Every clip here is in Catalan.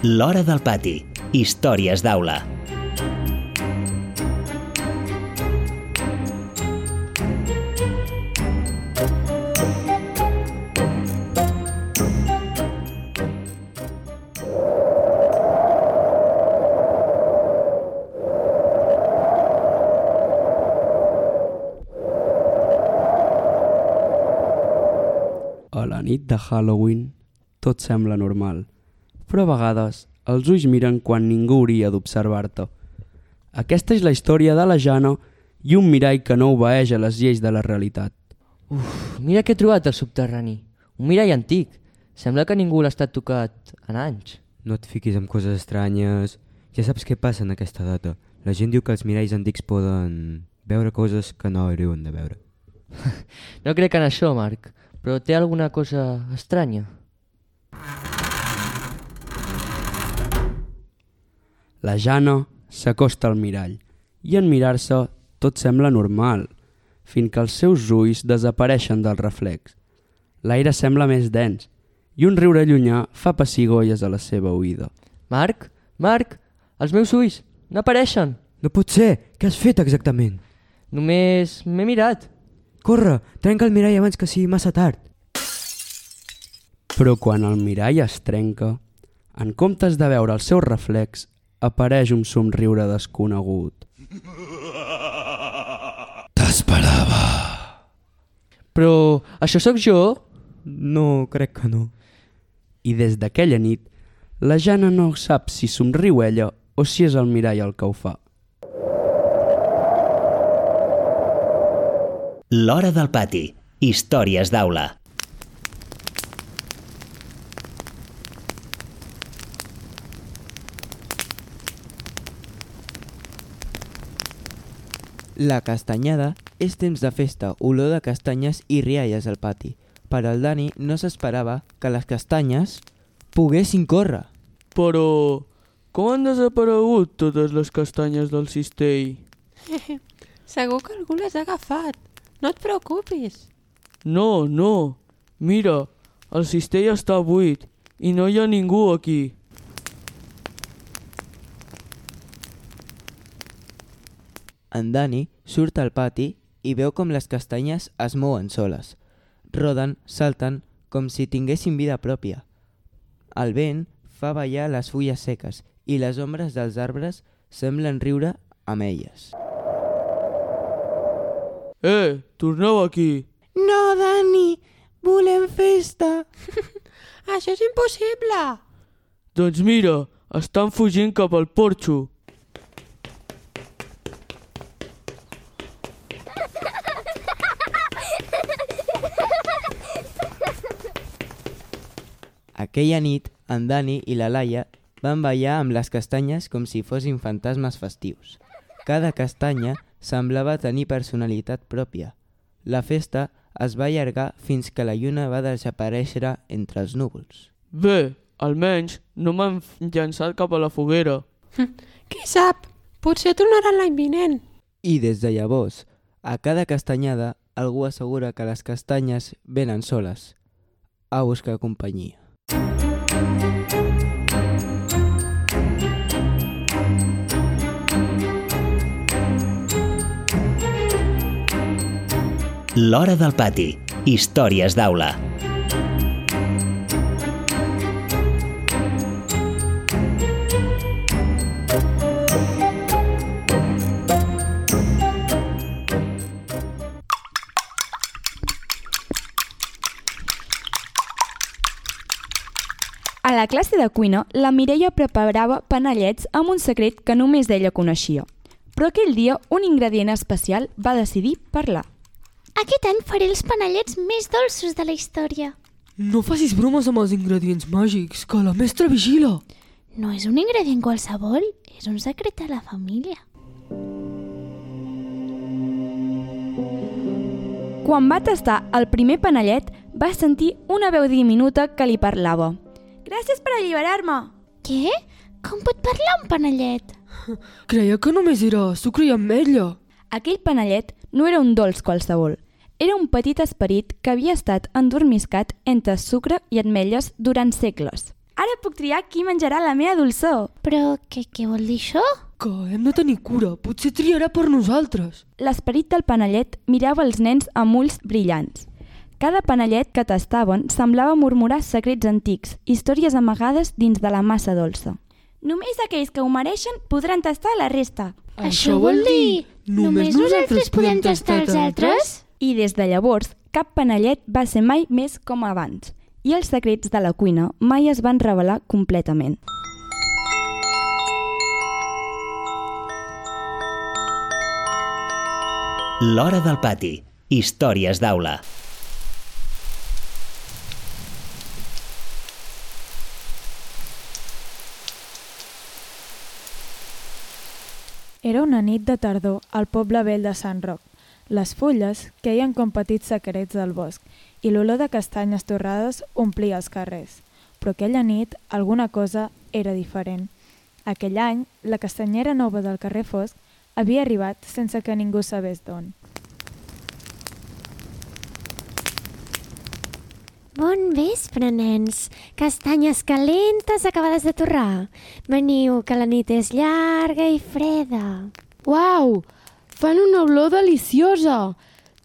L'Hora del Pati. Històries d'aula. A la nit de Halloween tot sembla normal, però a vegades els ulls miren quan ningú hauria d'observar-te. Aquesta és la història de la Jana i un mirall que no obeeix a les lleis de la realitat. Mira què he trobat al subterrani. Un mirall antic. Sembla que ningú l'ha estat tocat en anys. No et fiquis amb coses estranyes. Ja saps què passa en aquesta data. La gent diu que els miralls antics poden veure coses que no haurien de veure. No crec en això, Marc, però té alguna cosa estranya. La Jana s'acosta al mirall i en mirar-se tot sembla normal, fins que els seus ulls desapareixen del reflex. L'aire sembla més dens i un riure llunyà fa pessigolles a la seva oïda. Marc, els meus ulls no apareixen. No pot ser! Què has fet exactament? Només m'he mirat. Corre, trenca el mirall abans que sigui massa tard. Però quan el mirall es trenca, en comptes de veure el seu reflex, apareix un somriure desconegut. T'esperava. Però això sóc jo? No, crec que no. I des d'aquella nit, la Jana no sap si somriu ella o si és el mirall el que ho fa. L'Hora del Pati. Històries d'aula. La castanyada és temps de festa, olor de castanyes i rialles al pati. Per al Dani no s'esperava que les castanyes poguessin córrer. Però com han desaparegut totes les castanyes del cistell? Segur que algú les ha agafat. No et preocupis. No. Mira, el cistell està buit i no hi ha ningú aquí. En Dani surt al pati i veu com les castanyes es mouen soles. Roden, salten, com si tinguessin vida pròpia. El vent fa ballar les fulles seques i les ombres dels arbres semblen riure amb elles. Torneu aquí. No, Dani, volem festa. Això és impossible. Doncs mira, estan fugint cap al porxo. Aquella nit, en Dani i la Laia van ballar amb les castanyes com si fossin fantasmes festius. Cada castanya semblava tenir personalitat pròpia. La festa es va allargar fins que la lluna va desaparèixer entre els núvols. Bé, almenys no m'han llançat cap a la foguera. Qui sap? Potser tornaran l'any vinent. I des de llavors, a cada castanyada, algú assegura que les castanyes venen soles a buscar companyia. L'Hora del Pati. Històries d'aula. A la classe de cuina, la Mireia preparava panellets amb un secret que només ella coneixia. Però aquell dia un ingredient especial va decidir parlar. Aquest any faré els panellets més dolços de la història. No facis bromes amb els ingredients màgics, que la mestra vigila. No és un ingredient qualsevol, és un secret de la família. Quan va tastar el primer panellet, va sentir una veu diminuta que li parlava. Gràcies per alliberar-me. Què? Com pot parlar un panellet? Creia que només era sucre i ametlla. Aquell panellet no era un dolç qualsevol. Era un petit esperit que havia estat endormiscat entre sucre i ametlles durant segles. Ara puc triar qui menjarà la meva dolçor. Però què vol dir això? Que hem de tenir cura, potser triarà per nosaltres. L'esperit del panellet mirava els nens amb ulls brillants. Cada panellet que tastaven semblava murmurar secrets antics, històries amagades dins de la massa dolça. Només aquells que ho mereixen podran tastar la resta. Això vol dir... Només nosaltres podem tastar els altres? I des de llavors, cap panellet va ser mai més com abans. I els secrets de la cuina mai es van revelar completament. L'hora del pati. Històries d'aula. Era una nit de tardor al poble vell de Sant Roc. Les fulles queien com petits secrets del bosc i l'olor de castanyes torrades omplia els carrers. Però aquella nit alguna cosa era diferent. Aquell any, la castanyera nova del carrer Fosc havia arribat sense que ningú sabés d'on. Bon vespre, nens. Castanyes calentes acabades de torrar. Veniu, que la nit és llarga i freda. Uau! Fan una olor deliciosa!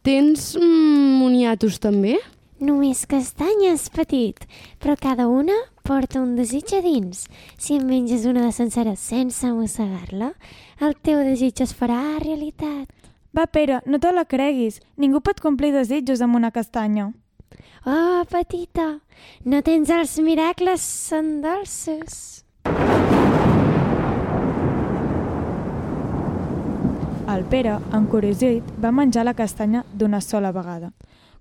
Tens moniatos també? Només castanyes, petit, però cada una porta un desig a dins. Si en menges una de sencera sense mossegar-la, el teu desig es farà realitat. Va, Pere, no te la creguis. Ningú pot complir desitjos amb una castanya. Oh, petita, no tens els miracles són dolços. El Pere, encuriosit, va menjar la castanya d'una sola vegada.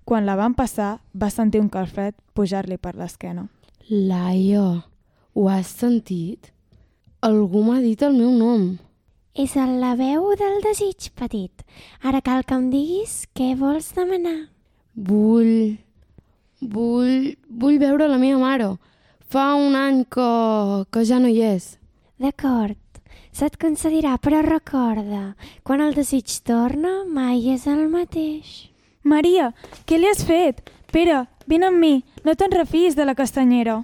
Quan la van passar, va sentir un calfred pujar-li per l'esquena. Laia, ho has sentit? Algú m'ha dit el meu nom. És la veu del desig, petit. Ara cal que em diguis què vols demanar. Vull veure la meva mare. Fa un any que ja no hi és. D'acord, se't concedirà, però recorda, quan el desig torna, mai és el mateix. Maria, què li has fet? Pere, vine amb mi, no te'n refiïs de la castanyera.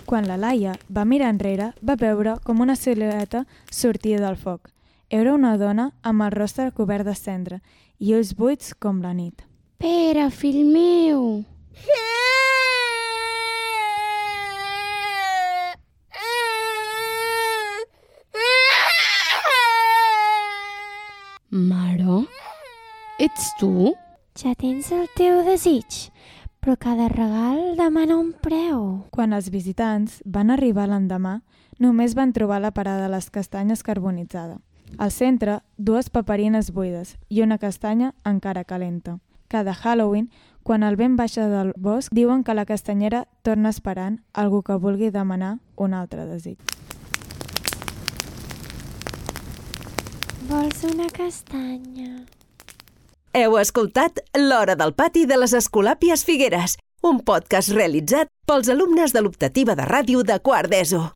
Quan la Laia va mirar enrere, va veure com una silueta sortia del foc. Era una dona amb el rostre cobert de cendra i ulls buits com la nit. Pere, fill meu! Mare? Ets tu? Ja tens el teu desig, però cada regal demana un preu. Quan els visitants van arribar l'endemà, només van trobar la parada de les castanyes carbonitzada. Al centre, 2 paperines buides i una castanya encara calenta. Cada Halloween, quan el vent baixa del bosc, diuen que la castanyera torna esperant algú que vulgui demanar un altre desig. Vols una castanya? Heu escoltat L'Hora del Pati de les Escolàpies Figueres, un podcast realitzat pels alumnes de l'optativa de ràdio de quart d'ESO.